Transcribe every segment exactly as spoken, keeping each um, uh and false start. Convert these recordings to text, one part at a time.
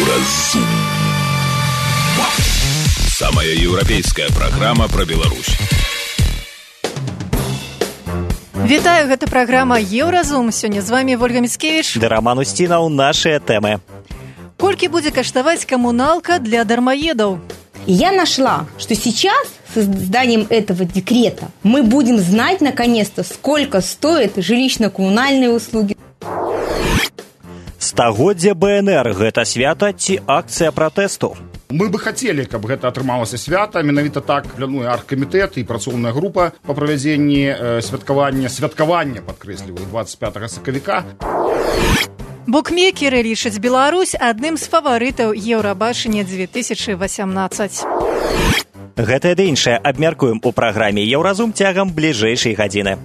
Еўразум. Самая еўрапейская праграма пра Беларусь. Вітаю, гэта праграма Еўразум. Сёння з вами Ольга Міцкевіч. Да Роман Устінаў, нашыя тэмы. Колькі будзе каштаваць коммуналка для дармоедов? Я нашла, что сейчас с изданием этого декрета мы будем знать наконец-то, сколько стоят жилищно-коммунальные услуги. Стагоддзе БНР – гэта свята ці акцыя пратэсту? Мы бы хотели, каб гэта атрымалася свята. Менавіта так плануе аргкамітэт і працоўная група па правядзенні э, святкавання, святкавання, падкрэсліваю, двадцать пятого сакавіка. Букмекеры лічаць Беларусь адным з фаварытаў Еўрабачання две тысячи восемнадцать. Гэтае ды іншае абмяркуем у праграме Еўразум цягам бліжэйшай гадзіны.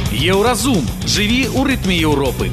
Еўразум. Жыві ў рытме Еўропы.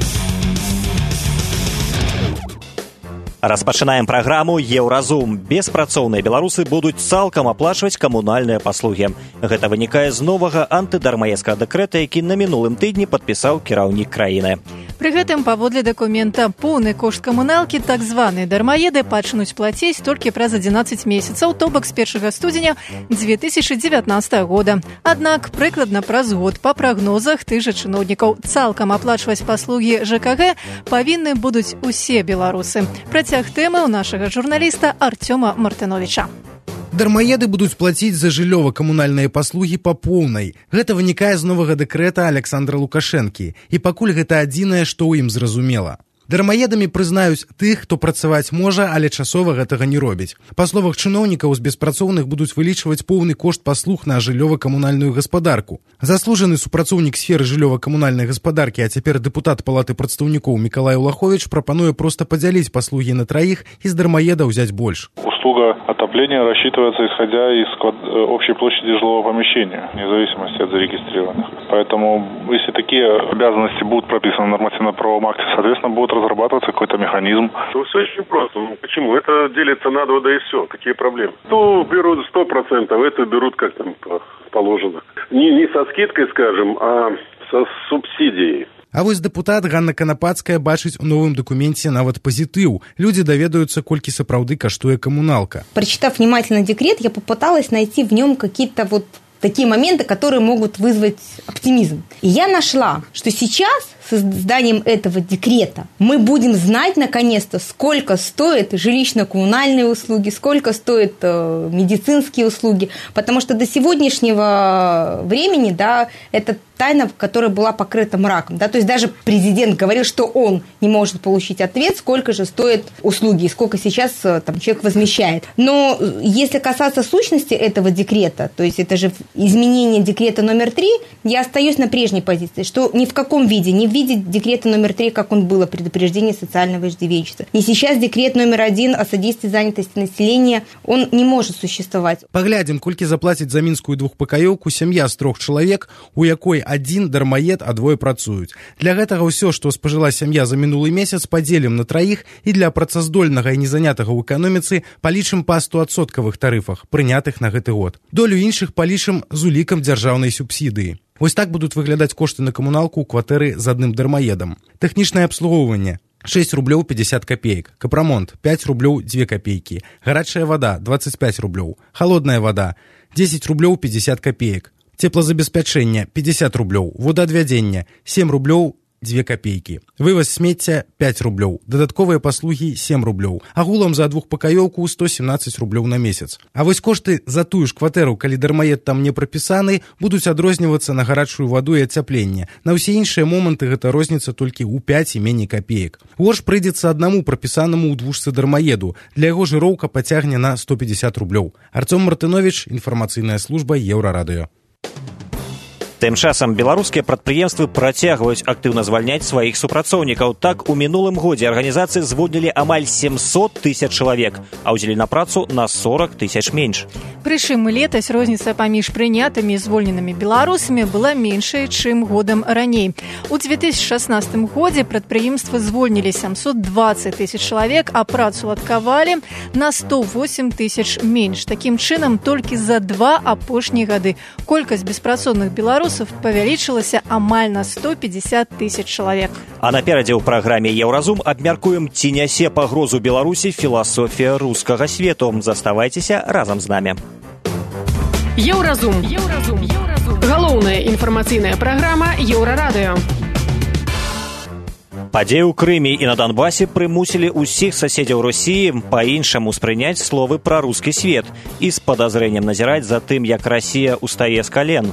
Распачынаем праграму Еўразум. Беспрацоўныя беларусы будуць цалкам аплачваць камунальныя паслугі. Гэта вынікае з новага антыдармаедскага дэкрэта, які на мінулым тыдні падпісаў кіраўнік краіны. Пры гэтым, паводле дакумента, поўны кошт камуналкі так званыя дармаеды пачнуць плаціць толькі праз адзінаццаць месяцаў, то бок з першага студзеня две тысячи девятнадцатого года. Аднак, прыкладна праз год па прагнозах тых жа чыноўнікаў цалкам аплачваць паслугі ЖКГ павінны будуць усе беларусы. Працяг тэмы ў нашага журналіста Артёма Мартыновича. Дармаеды будуць плаціць за жыллёва-камунальныя паслугі па поўнай. Гэта вынікае з новага дэкрэта Александра Лукашэнкі. І пакуль гэта адзінае, што ў ім зразумела. Дармаедамі прызнаюць тых, хто працаваць можа, але часова гэтага не робіць. Па словах чыноўнікаў, з беспрацоўных будуць вылічваць поўны кошт паслуг на жыллёва-камунальную гаспадарку. Заслужаны супрацоўнік сферы жыллёва-камунальнай гаспадаркі, а цяпер дэпутат палаты прадстаўнікоў Мікалай Улаховіч прапануе проста падзяліць паслугі на траіх і з дармаеда ўзяць больш. Услуга отопления рассчитывается исходя из общей площади жилого помещения, вне зависимости от зарегистрированных. Поэтому, если такие обязанности будут прописаны в нормативно-правовом акте, соответственно, будет разрабатываться какой-то механизм. Ну, все очень просто. Ну, почему? Это делится на два, да и все. Какие проблемы? То берут сто процентов, это берут как там положено. Не, не со скидкой, скажем, а со субсидией. А вось дэпутат Ганна Канапацкая бачыць у новым дакуменце нават пазітыў. Людзі даведаюцца, колькі сапраўды каштуе коммуналка. Прочитав внимательно декрет, я попыталась найти в нем какие-то вот такие моменты, которые могут вызвать оптимизм. И я нашла, что сейчас с изданием этого декрета мы будем знать наконец-то, сколько стоят жилищно-коммунальные услуги, сколько стоят э, медицинские услуги, потому что до сегодняшнего времени, да, это тайна, которая была покрыта мраком, да, то есть даже президент говорил, что он не может получить ответ, сколько же стоят услуги и сколько сейчас там человек возмещает. Но если касаться сущности этого декрета, то есть это же изменение декрета номер три, я остаюсь на прежней позиции, что ни в каком виде, ни в виде декрета номер три, как он был, о предупреждении социального иждивенчества, и сейчас декрет номер один о содействии занятости населения, он не может существовать. Паглядзім, колькі заплаціць за мінскую двухпакаёўку сям'я з трох чалавек, у якой адзін дармаед, а двое працуюць. Для гэтага ўсё, што спажыла сям'я за мінулы месяц, падзелім на траіх і для працаздольнага і незанятага ў эканоміцы палічым па стоадсоткавых тарыфах, прынятых на гэты год. Долю іншых палічым з улікам дзяржаўнай субсідыі. Вось так будуць выглядаць кошты на камуналку ў кватэры з адным дармаедам. Тэхнічнае абслугоўванне шесть рублёў пятьдесят копеек, капрамонт пять рублёў две копейки, гарачая вода двадцать пять рублёў, холодная вода десять рублёў пятьдесят копеек, теплозабеспячэнне пятьдесят рублёў, водоадвядзення семь рублёў две копейки, вывоз смецця пять рублёў, дадатковыя паслугі семь рублёў, агулам за двухпакаёўку сто семнадцать рублёў на месяц. А вось кошты за тую ж кватэру, калі дармаед там не прапісаны, будуць адрознівацца на гарачую ваду і ацяпленне. На ўсе іншыя моманты гэта розніца толькі ў пять і меней копеек. Горш прыйдзецца аднаму прапісанаму ў двушцы дармаеду. Для яго жыроўка пацягне на сто пятьдесят рублёў. Артём Мартынович, інфармацыйная служба Еўрарадыё. Тым часам беларускія прадпрыемствы працягваюць актыўна звальняць сваіх супрацоўнікаў. Так, у мінулым годзе арганізацыі звольнілі амаль семьсот тысяч чалавек, а ўзялі на працу на сорок тысяч менш. Прычым летась розніца паміж прынятымі і звольненымі беларусамі была меншая, чым годам раней. У две тысячи шестнадцатым годзе прадпрыемствы звольнілі семьсот двадцать тысяч чалавек, а працу адкавалі на сто восемь тысяч менш. Такім чынам, толькі за два апошнія гады колькасць беспрацоўных беларусаў беларусаў павялічылася амаль на сто пятьдесят тысяч чалавек. А наперадзе ў праграме «Еўразум» абмяркуем, ці нясе пагрозу Беларусі філасофія рускага свету. Заставайцеся разам з намі. Еўразум. Еўразум. Еўразум. Галоўная інфармацыйная праграма Еўрарадыё. Падзеі ў Крыме і на Донбасе прымусілі ўсіх суседзяў Росіі па-іншаму спрыняць словы пра рускі свет і з падазрэннем назіраць за тым, як Расія устае з кален.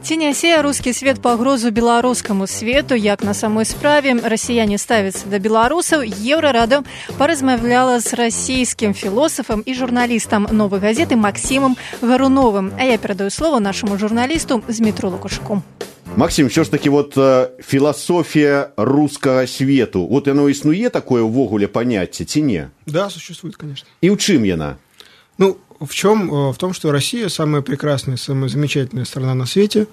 Ці нясе рускі свет пагрозу беларускаму свету, як на самой справе расіяне ставяцца да беларусаў, Еўрарадыё паразмаўляла з расійскім філосафам і журналістам «Новай газеты» Максімам Гаруновым. А я перадаю слово нашаму журналісту Змітру Лукашуку. Максим, що ж таки вот э, философия русского свету, вот оно існуе такое ўвогуле понятие, ці не? Да, существует, конечно. И в чем яна? Ну, в чем? В том, что Россия самая прекрасная, самая замечательная страна на свете,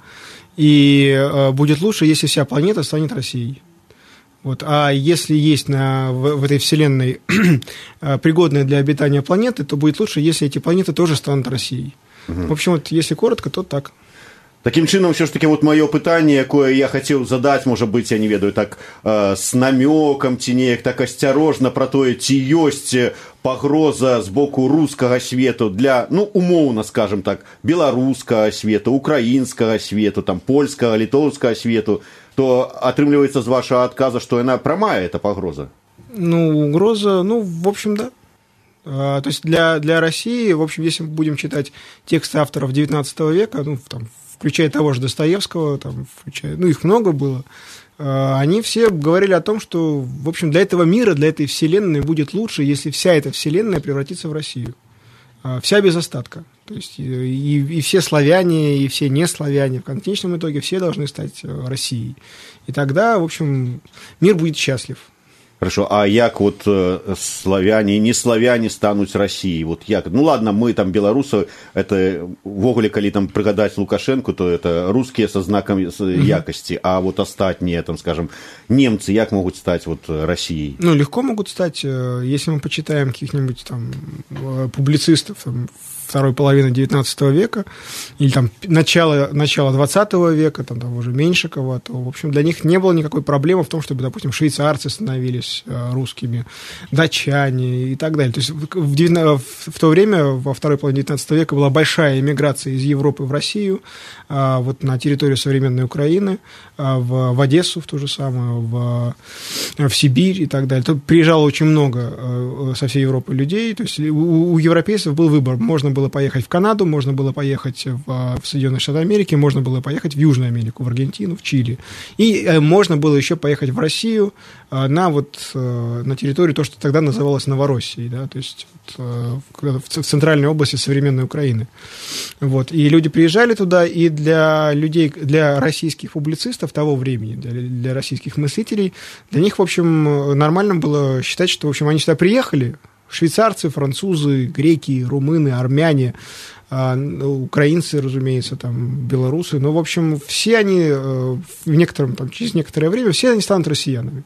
и э, будет лучше, если вся планета станет Россией. Вот. А если есть на, в, в этой вселенной пригодная для обитания планеты, то будет лучше, если эти планеты тоже станут Россией. Угу. В общем, вот, если коротко, то так. Таким чынам, все ж таки, вот мое пытанне, якое я хотел задать, может быть, я не ведаю, так э, с намеком, ці неяк так асцярожна про тое, ці ёсць пагроза з боку рускага свету для, ну, умоўна, скажем так, беларускага свету, украінскага свету, там, польскага, літоўскага свету, то атрымліваецца з вашего отказа, что яна прамая, эта пагроза? Ну, угроза, ну, в общем, да. А, то есть для, для России, в общем, если мы будем читать тексты авторов девятнадцатого века, ну, там, включая того же Достоевского, там, включая, ну, их много было, они все говорили о том, что, в общем, для этого мира, для этой вселенной будет лучше, если вся эта вселенная превратится в Россию. Вся без остатка. То есть и, и все славяне, и все неславяне, в конечном итоге все должны стать Россией. И тогда, в общем, мир будет счастлив. Хорошо, а як вот э, славяне и не славяне станут Россией? Вот як? Ну ладно, мы там белорусы, это ввогуле, коли там пригадать Лукашенко, то это русские со знаком якости, а вот остальные, там, скажем, немцы, як могут стать вот Россией? Ну, легко могут стать, если мы почитаем каких-нибудь там публицистов, там, второй половины девятнадцатого века, или там начало, начало двадцатого века, там того же Меньшикова, то, в общем, для них не было никакой проблемы в том, чтобы, допустим, швейцарцы становились русскими, датчане и так далее. То есть в, в то время, во второй половине девятнадцатого века, была большая эмиграция из Европы в Россию, вот на территорию современной Украины, в, в Одессу в то же самое, в, в Сибирь и так далее. Тут приезжало очень много со всей Европы людей, то есть у, у европейцев был выбор, можно было поехать в Канаду, можно было поехать в, в Соединенные Штаты Америки, можно было поехать в Южную Америку, в Аргентину, в Чили. И э, можно было еще поехать в Россию э, на, вот, э, на территорию, то, что тогда называлось Новороссией, да, то есть вот, э, в, в центральной области современной Украины. Вот. И люди приезжали туда, и для людей, для российских публицистов того времени, для, для российских мыслителей, для них, в общем, нормально было считать, что, в общем, они сюда приехали, швейцарцы, французы, греки, румыны, армяне, украинцы, разумеется, там, белорусы. Но, в общем, все они в некотором, там, через некоторое время все они станут россиянами.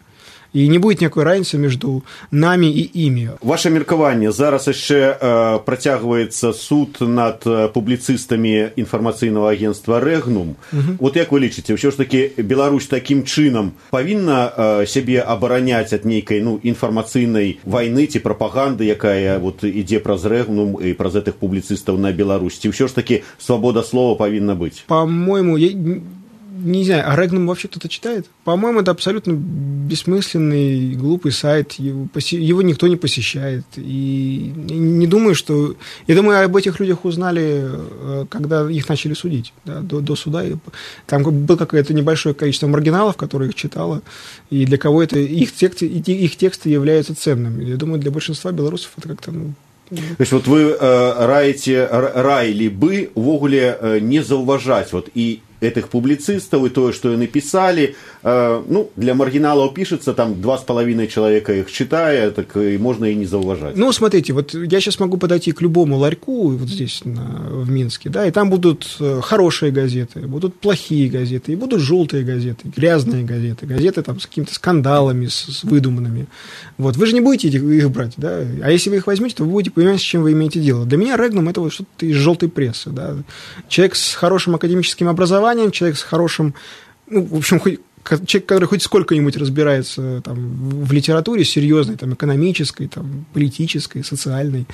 І не буде ніякої разницы между нами і імі. Ваше меркаванне, зараз яшчэ э, працягваецца суд над э, публіцыстамі інфармацыйнага агентства «Рэгнум». Угу. Вот як вы лічыце, ўсё ж таки Беларусь такім чынам павінна э, сябе абараняць ад нейкай, ну, інфармацыйнай вайны ці прапаганды, якая вот ідзе праз «Рэгнум» і праз гэтых публіцыстаў на Беларусь? Ці ўсё ж таки свабода слова павінна быць? По-моему, я... Не знаю, а Рэгнум вообще кто-то читает? По-моему, это абсолютно бессмысленный, глупый сайт. Его, его никто не посещает. И не думаю, что... Я думаю, об этих людях узнали, когда их начали судить. Да, до, до суда. Там было какое-то небольшое количество маргиналов, которые их читало. И для кого это... Их тексты, их тексты являются ценными. Я думаю, для большинства белорусов это как-то... Ну, то есть вот вы э, раите, раили бы увогуле э, не заўважаць вот и этих публицистов, и то, что они писали, э, ну, для маргиналов пишется, там два с половиной человека их читая, так и можно и не зауважать. Ну, смотрите, вот я сейчас могу подойти к любому ларьку вот здесь, на, в Минске, да, и там будут хорошие газеты, будут плохие газеты, и будут желтые газеты, грязные газеты, газеты там с какими-то скандалами, с, с выдуманными. Вот, вы же не будете их, их брать, да, а если вы их возьмете, то вы будете понимать, с чем вы имеете дело. Для меня Рэгнум — это вот что-то из желтой прессы, да, человек с хорошим академическим образованием, образованием, человек с хорошим, ну, в общем, хоть человек, который хоть сколько-нибудь разбирается там, в литературе серьезной, там, экономической, там, политической, социальной,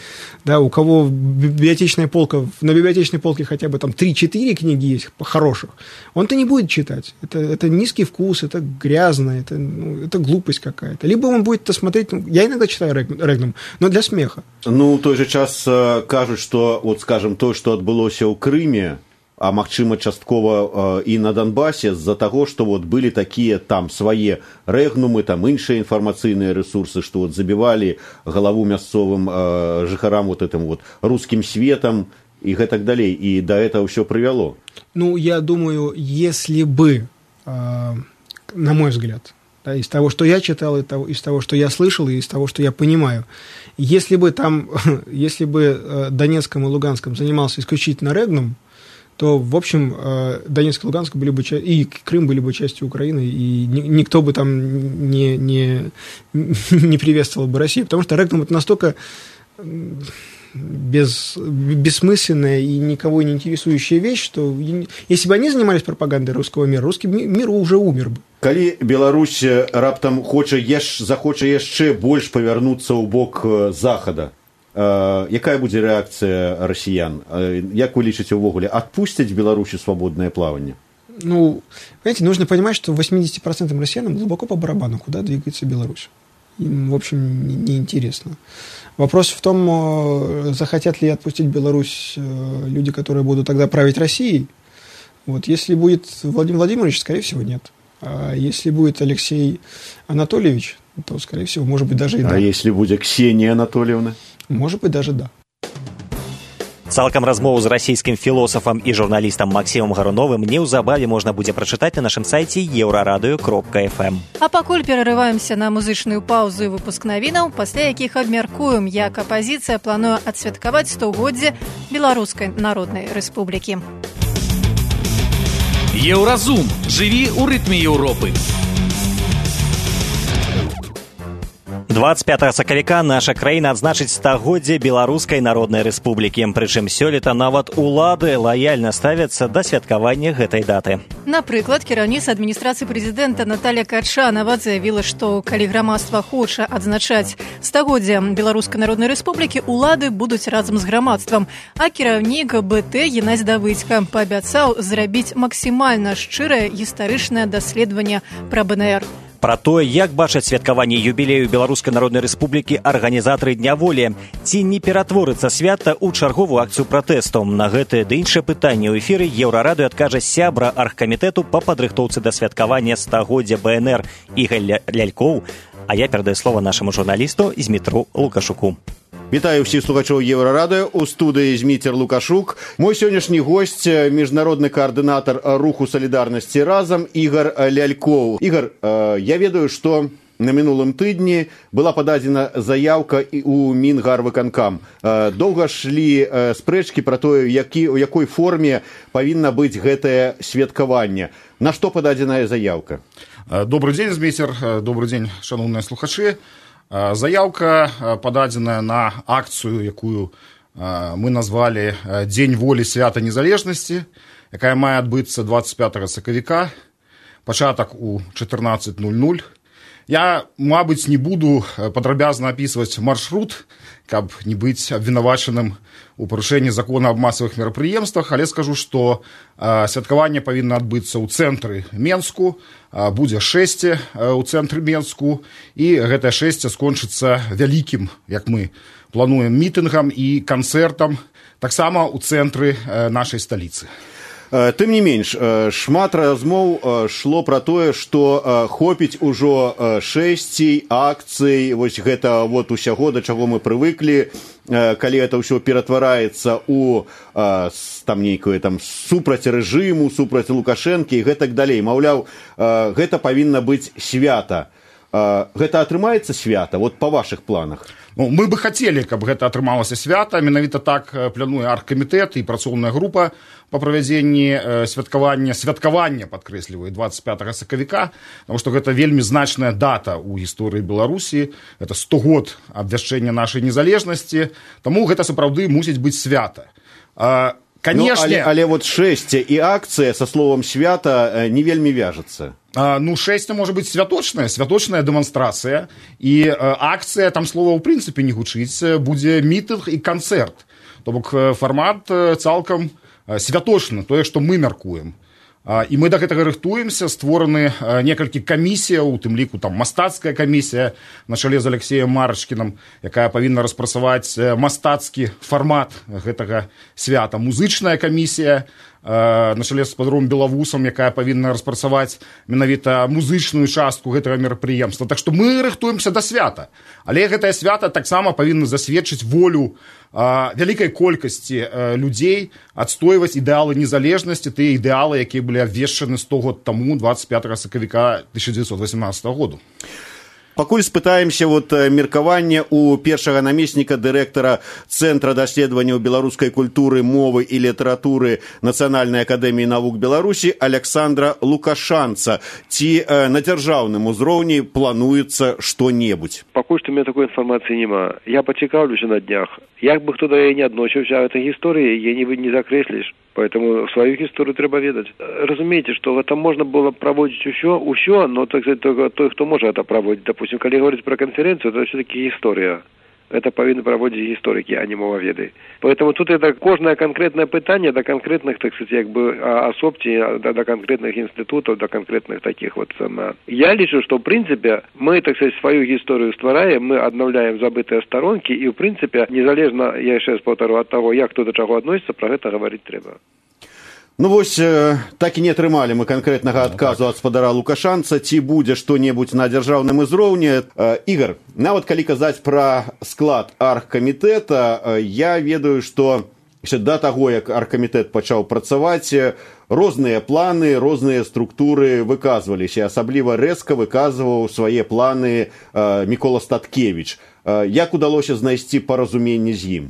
да, у кого библиотечная полка, на библиотечной полке хотя бы там три-четыре книги есть хороших, он-то не будет читать. Это, это низкий вкус, это грязно, это, ну, это глупость какая-то. Либо он будет это смотреть, ну, я иногда читаю Рэгнум, но для смеха. Ну, в той же час кажуть, что, вот, скажем, то, что отбылося ў Крыме, а магчыма часткова і на Донбасе з-за таго, што вот былі такія там свае рэгнумы, там іншыя інфармацыйныя рэсурсы, што вот забівалі галаву мясцовым э, жыхарам вот этим вот русским светом и гэтак далей, и до этого все привело. Ну, я думаю, если бы, э, на мой взгляд, да, из того, что я читал, из того, что я слышал, и из того, что я понимаю, если бы там, если бы Донецком и Луганском занимался исключительно рэгнум, то, в общем, Донецк и Луганск были бы, и Крым были бы частью Украины, и никто бы там не, не, не приветствовал бы Россию, потому что рэгнум – это настолько без, бессмысленная и никого не интересующая вещь, что если бы они занимались пропагандой русского мира, русский мир уже умер бы. Калі Беларусь раптам хоча еш, захоча яшчэ больш павярнуцца ў бок захада, Uh, якая будзе рэакцыя расіян? Uh, як вы лічыце ўвогуле, адпусцяць Беларусі свободное плавание? Ну, понимаете, нужно понимать, что восемьдесят процентов россиянам глубоко по барабану, куда двигается Беларусь. Им, в общем, неинтересно. Вопрос в том, захотят ли отпустить Беларусь люди, которые будут тогда править Россией. Вот, если будет Владимир Владимирович, скорее всего, нет. А если будет Алексей Анатольевич, то, скорее всего, может быть, даже и да. А если будет Ксения Анатольевна? Может быть, даже да. Цалкам размову з расійскім філосафам і журналістам Максімам Гаруновым неўзабаве можна будзе прачытаць на нашым сайце еўрарадыё кропка эф эм. А пакуль перарываемся на музычную паузу і выпуск навінаў, пасля якіх абмяркуем, як апазіцыя плануе адсвяткаваць стагоддзе Беларускай Народнай Рэспублікі. Еўразум. Жыві ў рытме Еўропы. двадцать пятага сакавіка наша краіна адзначыць стагоддзе Беларускай Народнай Рэспублікі. Прычым сёлета нават улады лаяльна ставяцца да святкавання гэтай даты. Напрыклад, кіраўніца адміністрацыі прэзідэнта Наталья Качанова заявіла, што калі грамадства хоча адзначаць стагоддзе Беларускай Народнай Рэспублікі, улады будуць разам з грамадствам. А кіраўнік БТ Геннадзь Давыдзька паабяцаў зрабіць максімальна шчырае гістарычнае даследаванне пра БНР. Пра тое, як бачаць святкаванне юбілею Беларускай Народнай Рэспублікі арганізатары Дня волі. Ці не ператворыцца свята ў чарговую акцыю пратэсту? На гэтае ды іншае пытанне ў эфіры Еўрарадыё адкажа сябра аргкамітэту па падрыхтоўцы да святкавання стагоддзя БНР Ігар Лялькоў, а я перадаю слова нашаму журналісту Змітру Лукашуку. Вітаю всіх слухачоў Еўрарадыё, у студыі Зміцер Лукашук. Мой сённяшні госць – міжнародны каардынатар руху салідарнасці разам Ігар Лялькоў. Ігар, я ведаю, што на мінулым тыдні была пададзена заяўка ў Мінгарвыканкам. Доўга шлі спрэчкі пра тое, які, у якой форме павінна быць гэтае святкаванне. На што пададзеная заяўка? Добрый дзень, Зміцер, добрый дзень, шановныя слухачы. Заяўка пададзеная на акцыю, якую мы назвалі Дзень волі свята незалежнасці, якая мае адбыцца двадцать пятага сакавіка, пачатак у чатырнаццаць нуль нуль. Я, мабыць, не буду падрабязна апісваць маршрут, каб не быць абвінавачаным у парушэнні закона аб масавых мерапрыемствах, але скажу, што э, святкаванне павінна адбыцца ў цэнтры Менску, э, будзе шэсце э, ў цэнтры Менску, і гэтае шэсце скончыцца вялікім, як мы плануем, мітынгам і канцэртам, таксама ў цэнтры э, нашай сталіцы. Тым не менш, шмат размоў шло пра тое, што хопіць ужо шэсцей, акцый, вось гэта вот усяго, да чаго мы прывыклі, калі гэта ўсё ператвараецца ў там нейкую там супраць рэжыму, супраць Лукашэнкі і гэтак далей. Маўляў, гэта павінна быць свята. Гэта атрымаецца свята, вот па вашых планах? Ну, мы бы хотели, каб гэта атрымалася свята. Менавіта так плануе аргкамітэт і працоўная група па правядзенні святкавання, святкавання, падкрэсліваю, двадцать пятага сакавіка, потому што гэта вельмі значная дата ў гісторыі Беларусі, гэта сто год абвяшчэння нашай незалежнасці, таму гэта сапраўды мусіць быць свята. Конечно. Ну, але, але вот шэсце і акцыя со словом свята не вельмі вяжется. А, ну, шэсце может быть святочная, святочная дэманстрацыя, і а, акцыя, там слова ў прынцыпе не гучыць, будзе мітынг і канцэрт. То бок фармат цалкам святочны, тое, што мы мяркуем. І мы да гэтага рыхтуемся, створаны некалькі камісіяў, у тым ліку там мастацкая камісія на чале з Алексеем Марачкінам, якая павінна распрацаваць мастацкі фармат гэтага свята. Музычная камісія на чале з спадаром Белавусам, якая павінна распрацаваць менавіта музычную частку гэтага мерапрыемства. Так што мы рыхтуемся да свята. Але гэтае свята таксама павінна засведчыць волю а, вялікай колькасці а, людзей адстойваць ідэалы незалежнасці, тыя ідэалы, якія былі абвешчаны сто год таму, двадцать пятого сакавіка тысяча девятьсот восемнадцатого году. Пакуль спытаемся вот меркаванне у першага намесніка дырэктара Цэнтра даследаванняў беларускай культуры, мовы і літаратуры Нацыянальнай акадэміі навук Беларусі Александра Лукашанца. Ці э, на дзяржаўным узроўні плануецца што-небудзь? Пакуль што у меня такой інфармацыі няма. Я пацікаўлюся на днях. Як бы хто да яе не адносіўся, а этой гісторыі яе не, не закрэсліш. Поэтому свою гісторыю трэба ведаць. Разумееце, што гэта можна было праводзіць усё, усё, но так сказать, той, хто можа гэта праводзіць. Допустим, калі говорить про конференцию, то все-таки история. Это повинны проводить историки, а не мововеды. Поэтому тут это кожное конкретное питание до конкретных, так сказать, как бы особці, до, до конкретных институтов, до конкретных таких вот. Я лічу, что в принципе мы, так сказать, свою историю ствараем, мы обновляем забытые сторонки, и в принципе, незалежно, я еще раз повторю, от того, як кто до чего относится, про это говорить треба. Ну вось, так і не атрымалі мы канкрэтнага адказу ад спадара Лукашанца, ці будзе што-небудзь на дзяржаўным узроўні. Ігор, нават калі казаць пра склад аргкамітэта, я ведаю, што яшчэ да таго, як аргкамітэт пачаў працаваць, розныя планы, розныя структуры выказваліся, асабліва рэзка выказваў свае планы Мікола Статкевіч. Як удалося знайсці паразуменне з ім?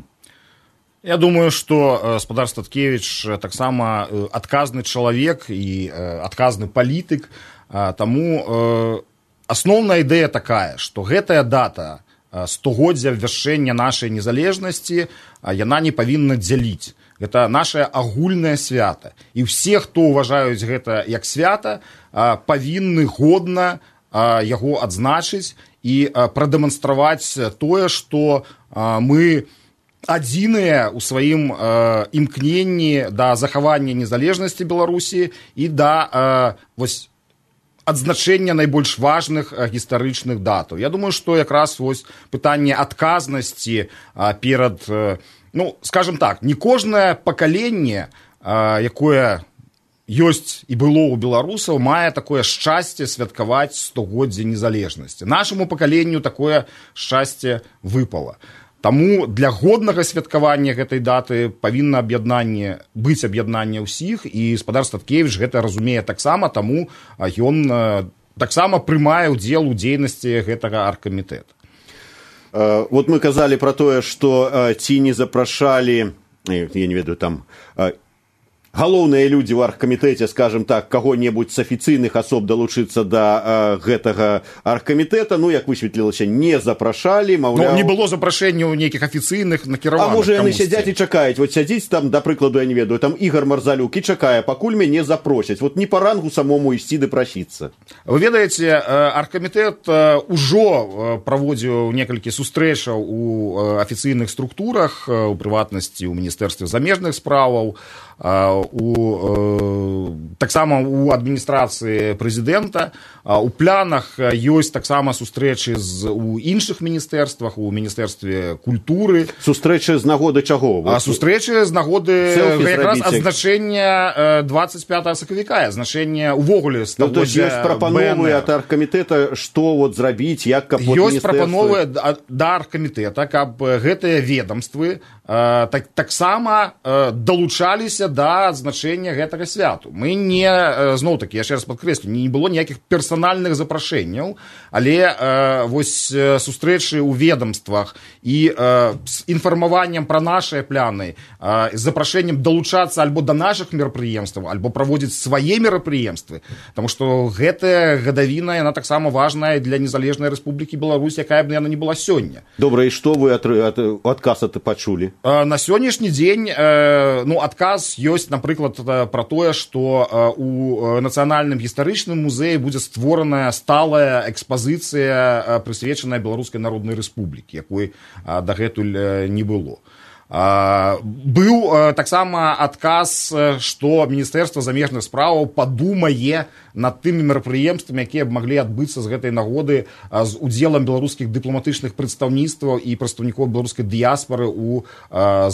Я думаю, што спадар Статкевіч таксама адказны чалавек і адказны палітык, таму асноўная ідэя такая, што гэтая дата стагоддзя абвяшчэння нашай незалежнасці, яна не павінна дзяліць. Гэта нашае агульнае свята. І ўсе, хто ўважаюць гэта як свята, павінны годна яго адзначыць і прадэманстраваць тое, што мы адзіныя ў сваім э, імкненні да захавання незалежнасці Беларусі і да э, вось, адзначэння найбольш важных э, гістарычных датаў. Я думаю, што якраз вось, пытанне адказнасці э, перад, э, ну, скажем так, не кожнае пакаленне, э, якое ёсць і было ў беларусаў, мае такое шчасце святкаваць стагоддзе незалежнасці. Нашаму пакаленню такое шчасце выпала. Таму для годнага святкавання гэтай даты павінна аб'яднанне быць аб'яднанне ўсіх, і спадар Статкевіч гэта разумее таксама, таму ён таксама прымае ўдзел у дзейнасці гэтага аргкамітэта. Вот мы казалі пра тое, што ці не запрашалі, я не ведаю, там галоўныя людзі ў аргкамітэце, скажем так, каго-небудзь з афіцыйных асоб далучыцца да э, гэтага аргкамітэта, ну, як высветлілася, не запрашалі, маўляў... Ну, не было запрашэнняў нейкіх афіцыйных накіраваных. А можа, яны сядзяць і чакаюць. Вот сядзіць там, да прыкладу, я не ведаю, там Ігор Марзалюк і чакае, пакуль мяне запросяць. Вот не па рангу самому ісці ды прасіцца. Вы ведаеце, аргкамітэт ужо праводзіў некалькі сустрэчаў у афіцыйных структурах, у прыватнасці, у Міністэрстве замежных справаў, у, таксама у адміністрацыі прэзідэнта. У планах ёсць таксама сустрэчы з, у іншых міністэрствах, у Міністэрстве культуры. Сустрэчы з нагоды чаго? А сустрэчы з нагоды якраз адзначэння двадцать пятого сакавіка, азначэння ўвогуле стагоддзя. Ну, то ёсць прапановы ад аргкамітэта, што вот зрабіць, як каб ёсць прапановы да аргкамітэта, каб гэтыя ведомствы так, таксама далучаліся да адзначэння гэтага святу. Мы не, зноў-такі, яшчэ раз падкрэслю, не было ніякіх персанальных персанальных запрашэнняў, але э, вось э, сустрэчы ў ведомствах і э, з інфармаваннем пра нашыя пляны, э, з запрашэннем далучацца альбо да нашых мерапрыемстваў, альбо праводзіць свае мерапрыемствы, таму што гэтая гадавіна, яна таксама важная для незалежнай Рэспублікі Беларусь, якая б яна не была сёння. Добра, і што вы ад, ад, адказ аты пачулі? Э, на сённяшні дзень э, ну, адказ ёсць, напрыклад, пра тое, што э, у нацыянальным гістарычным музеі будзе створаная сталая экспазіцыя, прысвечаная Беларускай Народнай Рэспублікі, якой дагэтуль не было. Быў таксама адказ, што Міністэрства замежных спраўаў падумае над тымі мерапрыемствамі, якія б маглі адбыцца з гэтай нагоды з удзелам беларускіх дыпламатычных прадстаўніцтваў і прадстаўнікоў беларускай дыяспары ў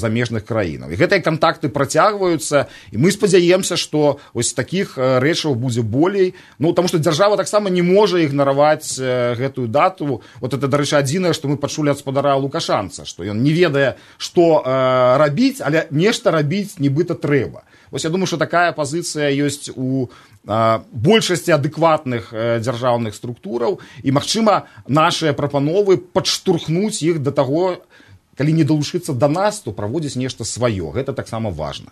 замежных краінах. І гэтыя кантакты працягваюцца, і мы спадзяемся, што вось такіх рэчаў будзе болей. Ну, таму што дзяржава таксама не можа ігнараваць гэтую дату. Вот это, дарэчы, адзінае, што мы пачулі ад спадара Лукашанца, што ён не ведае, што э, рабіць, але нешта рабіць нібыта трэба. Вось я думаю, што такая пазіцыя ёсць у э, большасці адэкватных э, дзяржаўных структураў, і, магчыма, нашыя прапановы падштурхнуць іх да таго, калі не далучыцца да нас, то праводзіць нешта сваё. Гэта таксама важна.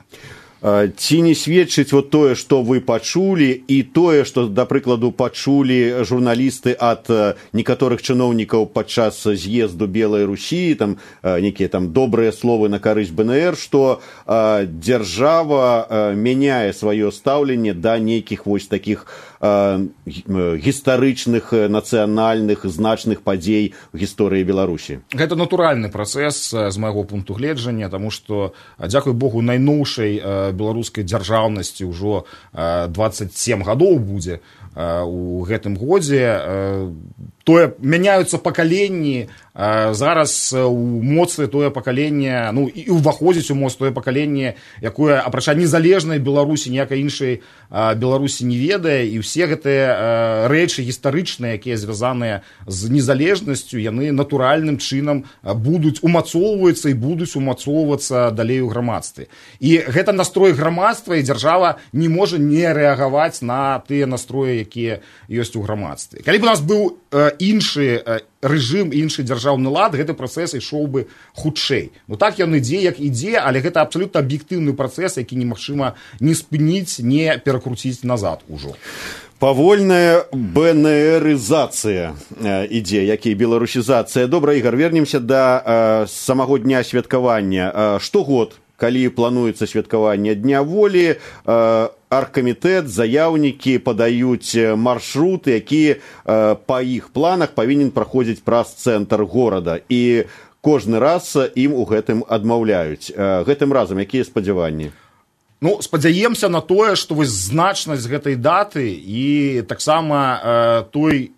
Ці не сведчыць вот тое, што вы пачулі, і тое, што, да прыкладу, пачулі журналісты ад некаторых чыноўнікаў падчас з'езду Белай Русі, там нейкія там добрыя словы на карысць БНР, што э, дзяржава э, мяняе сваё стаўленне да нейкіх вось такіх э, гістарычных, нацыянальных, значных падзей у гісторыі Беларусі. Гэта натуральны працэс з майго пункту гледжання, таму што, дзякуй Богу, найноўшай э, беларускай дзяржаўнасці ўжо дваццаць сем гадоў будзе у гэтым годзе. Тое мяняюцца пакаленні, зараз у моцы тое пакаленне, ну і ўваходзіць у моц тое пакаленне, якое, апрача незалежнай Беларусі, ніякай іншай Беларусі не ведае, і ўсе гэтыя рэчы гістарычныя, якія звязаныя з незалежнасцю, яны натуральным чынам будуць умацоўвацца і будуць умацоўвацца далей у грамадстве. І гэта настрой грамадства, і дзяржава не можа не рэагаваць на тыя настроі, якія ёсць у грамадстве. Калі б у нас быў іншы рэжым, іншы дзяржаўны лад, гэты працэс ішоў бы хутчэй. Ну так ён ідзе, як ідзе, але гэта абсалютна аб'ектыўны працэс, які немагчыма не спыніць, не перакруціць назад ужо. Павольная БНРызацыя ідзе, як і беларусізацыя. Добра, Ігор, вернемся да э, самого дня святкавання. Э, штогод, калі плануецца святкаванне Дня волі, э, аргкамітэт, заяўнікі падаюць маршруты, які э, па іх планах павінен праходзіць праз цэнтр горада. І кожны раз ім у гэтым адмаўляюць. Э, гэтым разам якія спадзяванні? Ну, спадзяемся на тое, што вось значнасць гэтай даты і таксама э, той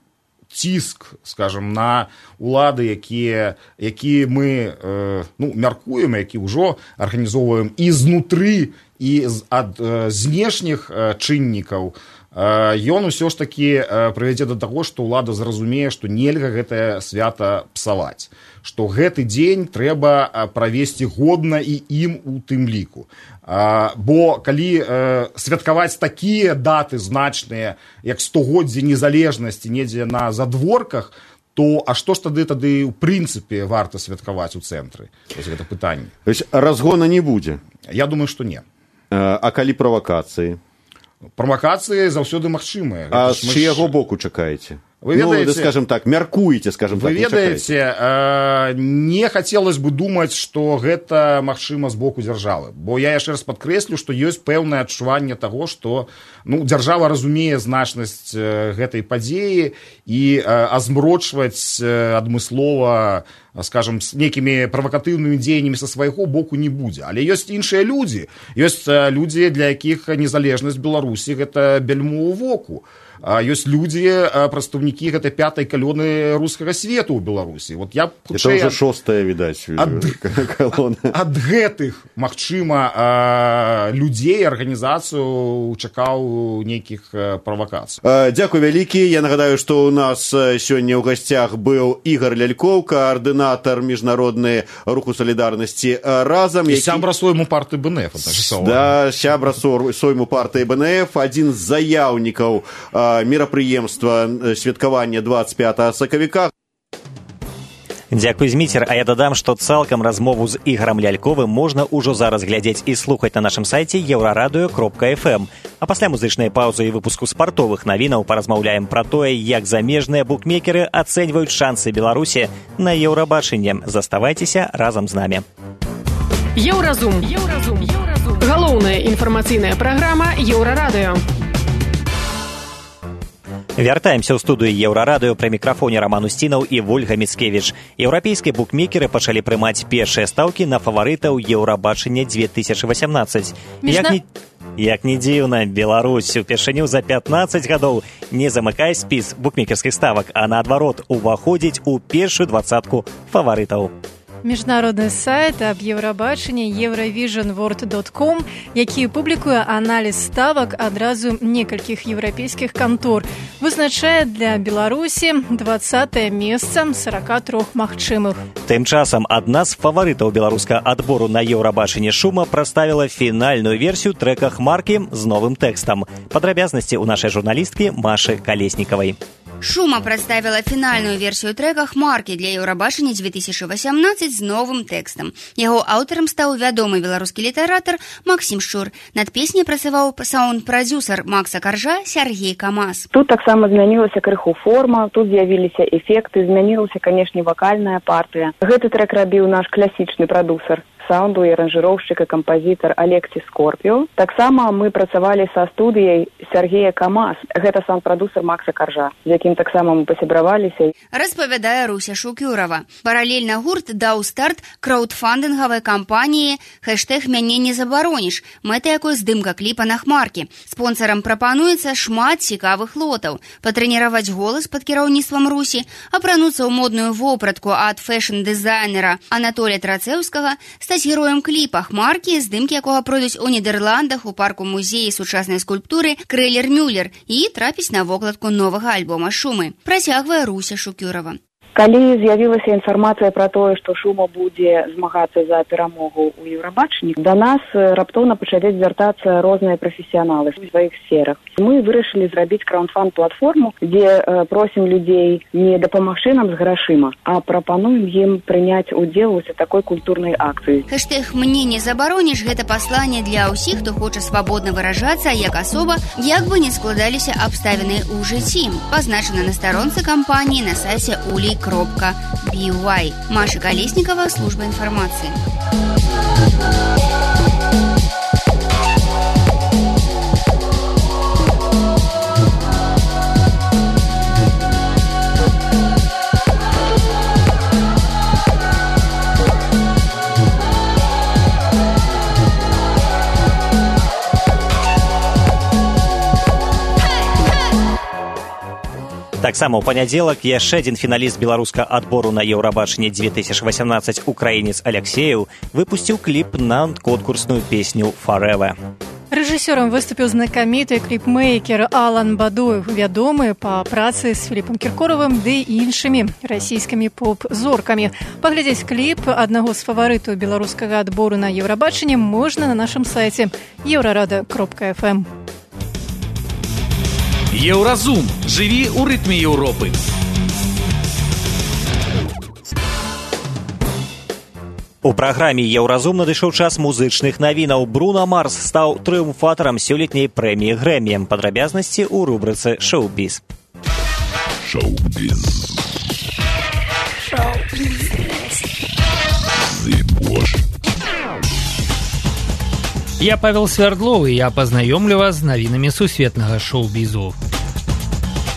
ціск, скажем, на улады, якія, які мы э, ну, мяркуем, які ўжо арганізоўваем і знутры, і ад э, знешніх э, чыннікаў, э, ён усё ж такі э, прывядзе да таго, што ўлада зразумее, што нельга гэтае свята псаваць, што гэты дзень трэба правесці годна і ім у тым ліку. А, бо калі э, святкаваць такія даты значныя, як стагоддзе незалежнасці недзе на задворках, то а што ж тады тады ў прынцыпе варта святкаваць у цэнтры? Вось гэта пытанне. То есть разгона не будзе? Я думаю, што не. А калі правакацыі? Правакацыі заўсёды магчымыя. А з чыяго боку чакаеце? Вы ведаете, ну, скажем так, мяркуеце, скажем вы так, ведаете, э, не хацелось бы думаць, што гэта магчыма з боку дзяржавы. Бо я яшчэ раз падкрэслю, што ёсць пэўнае адчуванне таго, што ну, дзяржава разумее значнасць э, гэтай падзеі і э, азмрочваць э, адмыслова, скажем, с нейкімі правакатыўнымі дзеяннямі са свайго боку не будзе. Але ёсць іншыя людзі. Ёсць э, людзі, для якіх незалежнасць Беларусі гэта бельмо ў воку. А ёсць людзі, прадстаўнікі гэтай пятай калоны рускага свету ў Беларусі. Вот я хутчэй... Это ўжо шостая, відаць, ад... калона. Ад гэтых, магчыма, людзей, арганізацыю чакаў нейкіх правакацый. Дзякуй вялікі. Я нагадаю, што ў нас сёння ў гасцях быў Ігор Лялькоў, каардынатар міжнароднай руху салідарнасці разам. І які... сябра сойму партыі БНФ. Да, сябра сойму партыі БНФ, адзін з заяўнікаў мерапрыемства святкавання двадцать пятого сакавіка. Дзякуй, Зміцер, а я дадам, што цалкам размову з Ігорам Ляльковым можна ўжо зараз глядзець і слухаць на нашым сайце еўрарадыё кропка эф эм. А пасля музычнай паўзы і выпуску спартовых навінаў паразмаўляем пра тое, як замежныя букмекеры ацэньваюць шансы Беларусі на еўрабачанне. Заставайцеся разам з намі. Еўразум. Еўразум. Еўразум. Галоўная інфармацыйная праграма Еўрарадыё. Вяртаемся ў студыю Еўрарадыё, пры мікрафоне Роман Устінаў і Вольга Міцкевіч. Еўрапейскія букмекеры пачалі прымаць першыя стаўкі на фаварытаў Еўрабачання две тысячи восемнадцать. Як не... Як не дзіўна, Беларусь упершыню за пятнадцать гадоў не замыкае спіс букмекерскіх ставак, а наадварот уваходзіць у першую двадцатку фаварытаў. Міжнародны сайт аб еўрабачанні еўравіжн ворд дот ком, які публікуе аналіз ставак адразу некалькіх еўрапейскіх кантор, вызначае для Беларусі двадцатае месца з сорока трох магчымых. Тым часам адна з фаварытаў беларускага адбору на еўрабачанне Шума прадставіла фінальную версію трэка «Хмаркі» з новым тэкстам. Падрабязнасці ў нашай журналісткі Машы Калеснікавай. Шума прадставіла фінальную версію трэка «Хмаркі» для еўрабачання две тысячи восемнадцать з новым тэкстам. Яго аўтарам стаў вядомы беларускі літаратар Максім Шчур. Над песняй працаваў саунд-прадзюсар Макса Каржа Сергей Камаз. Тут таксама змянілася крыху форма, тут з'явіліся эфекты, змянілася, канешне, вакальная партыя. Гэты трэк рабіў наш класічны прадусар саунду і аранжыроўшчык і кампазітар Алексі Скорпіо. Таксама мы працавалі са студыяй Сергея Камаз. Гэта саунд-прадусар Макса Каржа, з якім таксама мы пасябраваліся. Распавядае Руся Шукюрова. Паралельна гурт даў старт краўдфандынгавай кампаніі хэштэг «Мяне не забароніш», мэта якой здымка кліпа на «Хмаркі». Спонсарам прапануецца шмат цікавых лотаў. Патрэніраваць голас пад кіраўніцтвам Русі, апрануцца ў модную вопратку ад фэшн-дызайнера Анатолія Трацэўскага, стаць героем кліпа «Хмаркі», здымкі якога пройдуць у Нідерландах у парку музеі сучаснай скульптуры Крэлер-Мюллер і трапіць на вокладку новага альбома Шумы. Працягвае Руся Шукюрова. Калі з'явілася інфармацыя пра тое, што Шума будзе змагацца за перамогу ў еўрабачанні, да нас раптоўна пачалі звяртацца розныя прафесіяналы ў сваіх сферах. Мы вырашылі зрабіць краўдфанд-платформу, дзе э, просім людзей не дапамагчы нам з грашыма, а прапануем ім прыняць удзел у такой культурнай акцыі. Хэштэг «Мне не забароніш» – гэта пасланне для ўсіх, хто хоча свабодна выражацца як асоба, як бы не складаліся абставіны ў жыцці. Пазначана на старонцы кампаніі на сайце улей кропка би уай. Маша Колесникова, служба информации. Таксама ў панядзелак яшчэ адзін фіналіст беларускага адбору на еўрабачанне две тысячи восемнадцать украінец Алексеев выпусціў кліп на конкурсную песню «Forever». Рэжысёрам выступіў знакаміты кліпмейкер Алан Бадуев, вядомы па працы з Філіпам Кіркоровым ды іншымі расійскімі поп-зоркамі. Паглядзець кліп аднаго з фаварытаў беларускага адбору на еўрабачанне можна на нашым сайце еўрарадыё кропка эф эм. Еўразум. Жыві ў рытме Еўропы. У праграме «Еўразум» надышоў час музычных навінаў. Бруно Марс стаў трыумфатарам сёлетняй прэміі Грэмі. Падрабязнасці ў рубрыцы «Шоу-біз». Шоу-біз. Шоу-біз. Я Павел Свердлов, і я пазнаёмлю вас з навінамі сусветнага шоу-бізу.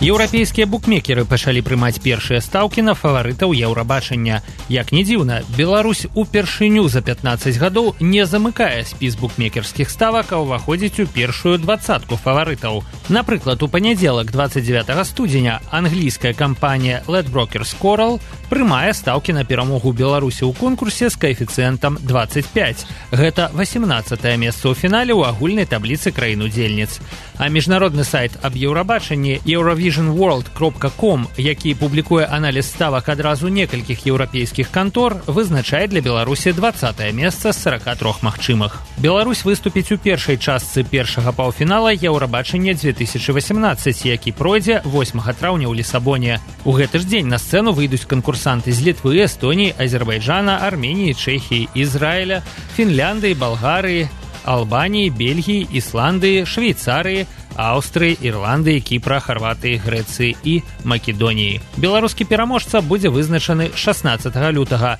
Еўрапейскія букмекеры пачалі прымаць першыя стаўкі на фаварытаў еўрабачання. Як не дзіўна, Беларусь упершыню за пятнадцать гадоў не замыкае спіс букмекерскіх ставак, а ўваходзіць у першую двадцатку фаварытаў. Напрыклад, у панядзелак двадцать девятого студзеня англійская кампанія Ledbrokers Coral прымае стаўкі на перамогу Беларусі ў конкурсе з каэфіцыентам двадцать пять. Гэта восемнадцатае месца ў фінале ў агульнай табліцы краін-удзельніц. А міжнародны сайт аб еўрабачанні Eurovision vision world кропка ком, які публікуе аналіз ставак адразу некалькіх еўрапейскіх кантор, вызначае для Беларусі дваццатае месца з сорока трох магчымых. Беларусь выступіць у першай частцы першага паўфінала Еўрабачання две тысячи восемнадцать, які пройдзе восьмага траўня ў Лісабоне. У гэты ж дзень на сцэну выйдуць канкурсанты з Літвы, Эстоніі, Азербайджана, Арменіі, Чэхіі, Ізраіля, Фінляндыі, Балгарыі, Албаніі, Бельгіі, Ісландыі, Швейцарыі, Аўстрыі, Ірландыі, Кіпра, Харватыі, Грэцыі і Македоніі. Беларускі пераможца будзе вызначаны шаснаццатага лютага.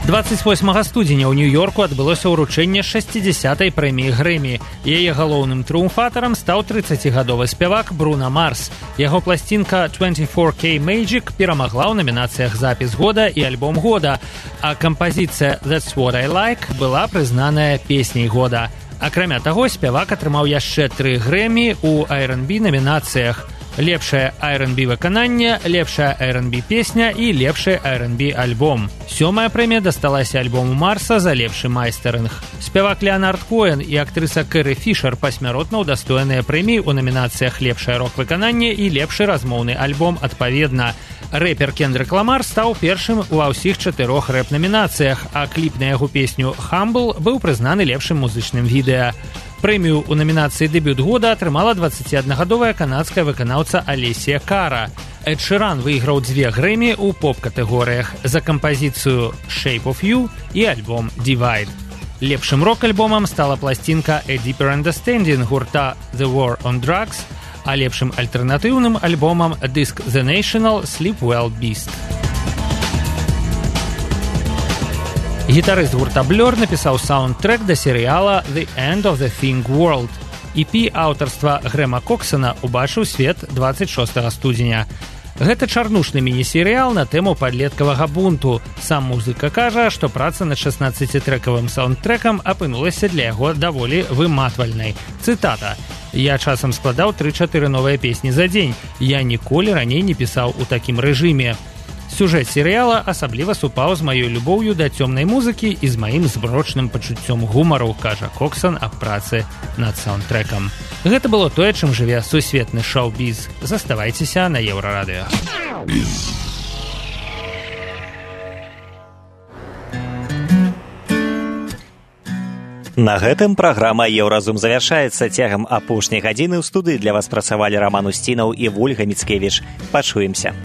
дваццаць восьмага студзеня ў Нью-Йорку адбылося ўручэнне шэсцідзясятай прэміі Грэмі. Яе галоўным трыумфатарам стаў трыццацігадовы спявак Бруно Марс. Яго пласцінка двадцать четыре кей Magic перамагла ў намінацыях запіс года і альбом года, а кампазіцыя That's What I Like была прызнаная песняй года. Акрамя таго, спявак атрымаў яшчэ тры Грэмі ў ар энд би намінацыях: лепшае ар энд би выкананне, лепшая ар энд би песня і лепшы ар энд би альбом. Сёмая прэмія дасталася альбому Марса за лепшы майстэрынг. Спявак Леонард Коэн і актрыса Кэрри Фішер пасмяротна ўдастояныя прэміі ў намінацыях лепшае рок-выкананне і лепшы размоўны альбом адпаведна. Рэпер Кендрик Ламар стаў першым ва ўсіх чатырох рэп-намінацыях, а кліп на яго песню «Humble» быў прызнаны лепшым музычным відэа. Прэмію ў намінацыі «Дэбют года» атрымала дваццаціаднагадовая канадская выканаўца Алесія Кара. Эд Ширан выйграў дзве Грэмі ў поп-катэгорыях за кампазіцыю «Shape of You» і альбом «Divide». Лепшым рок-альбомам стала пласцінка «A Deeper Understanding» гурта «The War on Drugs», а лепшым альтэрнатыўным альбомам дыск «The National» «Sleep Well Beast». Гітарыст гурта Blur напісаў саундтрэк да серыяла «The End of the Thing World». і пі аўтарства Грэма Коксана убачыў свет дваццаць шостага студзеня. Гэта чарнушны міні-серыял на тэму падлеткавага бунту. Сам музыка кажа, што праца над шаснаццацітрекавым саундтрэкам апынулася для яго даволі выматвальнай. Цытата: «Я часам складаў тры-чатыры новыя песні за дзень. Я ніколі раней не пісаў у такім рэжыме». Сюжэт серыяла асабліва супаў з маёй любоўю да цёмнай музыкі і з маім зброчным пачуццём гумару, кажа Коксан аб працы над саундтрэкам. Гэта было тое, чым жыве сусветны шоу-біз. Заставайцеся на Еўрарадыё. На гэтым праграма «Еўразум» завяршаецца. Цягам апошняй гадзіны ў студыі для вас працавалі Раман Усцінаў і Вольга Міцкевіч. Пачуемся.